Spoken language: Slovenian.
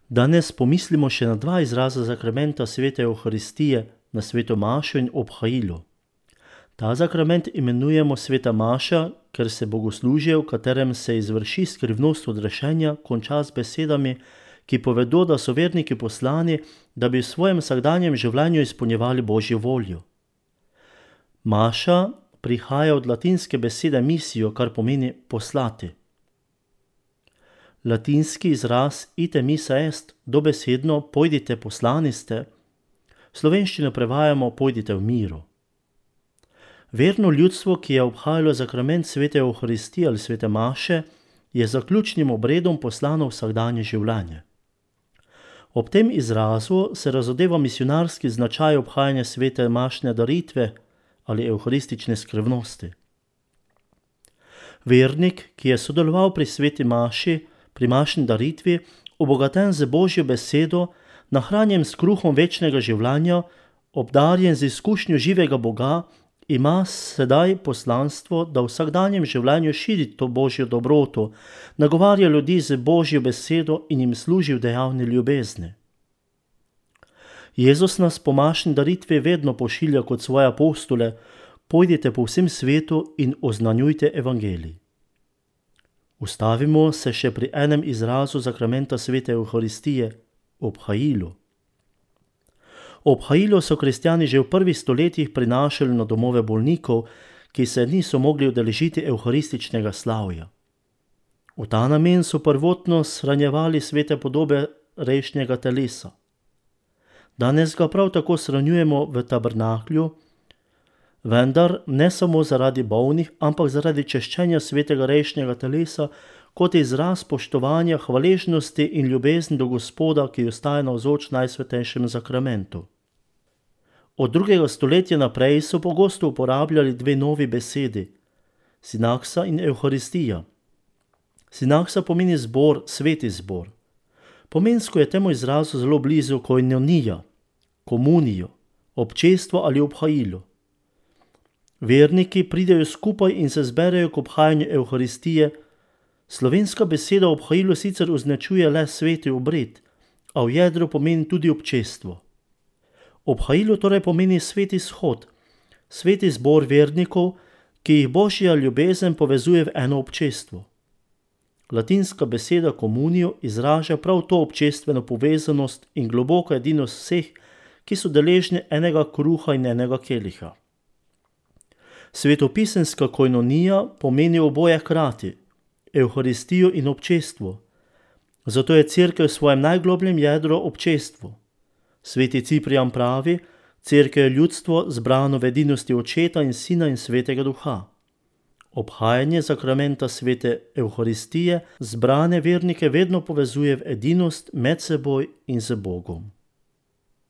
Danes pomislimo še na dva izraza zakramenta svete Evharistije, na sveto mašo in obhajilo. Ta zakrament imenujemo sveta maša, ker se bogoslužje, v katerem se izvrši skrivnost odrešenja, konča z besedami, ki povedo, da so verniki poslani, da bi v svojem vsakdanjem življenju izpolnjevali Božjo voljo. Maša prihaja od latinske besede missio, kar pomeni poslati. Latinski izraz ite missa est, dobesedno pojdite poslani ste, v slovenščino prevajamo pojdite v miru. Verno ljudstvo, ki je obhajalo zakrament svete Evharistije ali svete maše, je zaključnim obredom poslano v vsakdanje življenje. Ob tem izrazu se razodeva misionarski značaj obhajanja svete mašne daritve ali evharistične skrivnosti. Vernik, ki je sodeloval pri sveti maši, pri mašni daritvi, obogaten z Božjo besedo, nahranjen s kruhom večnega življenja, obdarjen z izkušnjo živega Boga, ima sedaj poslanstvo, da v vsakdanjem življenju širi to Božjo dobroto, nagovarja ljudi z Božjo besedo in jim služi v dejavni ljubezni. Jezus nas po mašni daritvi vedno pošilja kot svoje apostole, pojdite po vsem svetu in oznanjujte evangelij. Ustavimo se še pri enem izrazu zakramenta svete Evharistije, obhajilu. Obhajilo so kristjani že v prvih stoletjih prinašali na domove bolnikov, ki se niso mogli udeležiti evharističnega slavja. V ta namen so prvotno shranjevali svete podobe rešnjega telesa. Danes ga prav tako shranjujemo v tabernaklju, vendar ne samo zaradi bolnih, ampak zaradi češčenja svetega rešnjega telesa kot izraz spoštovanja, hvaležnosti in ljubezni do Gospoda, ki ostaja navzoč najsvetejšem zakramentu. Od 2. stoletja naprej so pogosto uporabljali dve novi besedi, sinaksa in evharistija. Sinaksa pomeni zbor, sveti zbor. Pomensko je temu izrazu zelo blizu koinonija, komunijo, občestvo ali obhajilo. Verniki pridejo skupaj in se zberejo k obhajanju Evharistije. Slovenska beseda obhajilo sicer označuje le sveti obred, a v jedru pomeni tudi občestvo. Obhajilo torej pomeni sveti shod, sveti zbor vernikov, ki jih Božja ljubezen povezuje v eno občestvo. Latinska beseda komunijo izraža prav to občestveno povezanost in globoko edinost vseh, ki so deležni enega kruha in enega keliha. Svetopisemska koinonija pomeni oboje hkrati, Evharistijo in občestvo. Zato je Cerkev v svojem najglobljem jedru občestvo. Sveti Ciprijan pravi, Cerkev je ljudstvo zbrano v edinosti Očeta in Sina in Svetega Duha. Obhajanje zakramenta svete Evharistije zbrane vernike vedno povezuje v edinost med seboj in z Bogom.